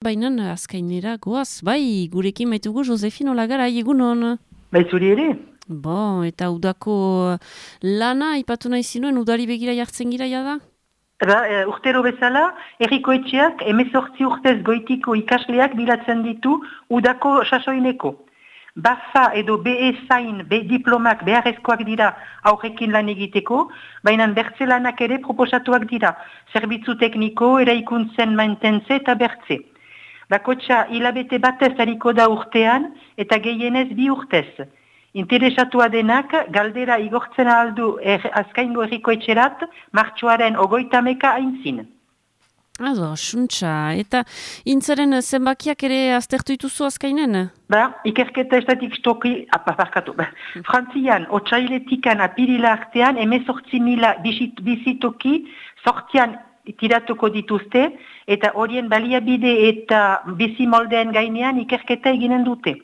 Baina azkainera goaz, bai, gurekin baitugu Josefine Olagarai, egunon. Bai, zuri ere? Bo, eta udako lana, ipatu nahi zinuen, udari begira jartzen gira da? Urtero bezala, Herriko Etxeak 18 urtez goitiko ikasleak bilatzen ditu udako sasoineko. BAFA edo BE zain, B diplomak beharrezkoak dira aurrekin lan egiteko, baina bertze lanak ere proposatuak dira, zerbitzu tekniko, eraikuntzen mantentze eta bertze. Bakotxa hilabete batez hariko da urtean eta gehienez 2 urtez. Interesatua denak galdera igortzen aldu azkaingo Herriko Etxerat martxoaren 30 aintzin. Ado, suntxa, eta intzaren zenbakiak ere aztertu dituzu azkainen? Ikerketa estatistikoki, Frantzian, otsailetikan apirila artean, 18.000 bizitoki sortzian tiratuko dituzte, eta horien baliabide eta bizimoldeen gainean ikerketa eginen dute.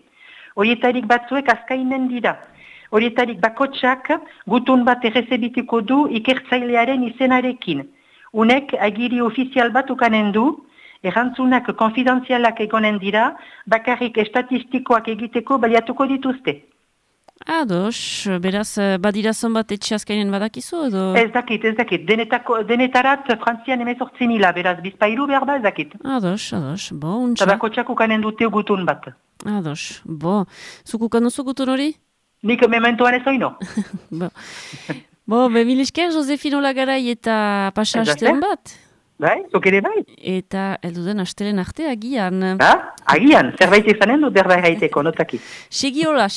Horietarik batzuek azkainen dira. Horietarik bakotsak gutun bat errezebitiko du ikertzailearen izenarekin. Unek agiri ofizial bat ukanen du, errantzunak konfidenzialak egonen dira, bakarrik estatistikoak egiteko baliatuko dituzte. Ados, beraz, badirazon bat etxe azkainen badakizu edo? Ez dakit. Denetarat Frantzian 18.000, beraz, bizpailu behar da ez dakit. Ados, bo, untxa. Bakotsak ukanen dute gutun bat. Ados, bo, zuk ukanuzu gutun hori? Nik mementoan ez oino. Bo, mil esker, Josefine Olagarai eta pasa astean bat? Bai, zuk ere bai. Eta elduden astelen arte agian. Agian, zerbait izanen du berbait gaiteko, notaki. Segiola.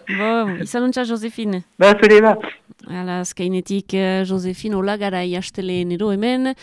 Bo, izan untxa, Josefine. Zure ba. Hala, azkainetik Josefine Olagarai asteleen ero hemen.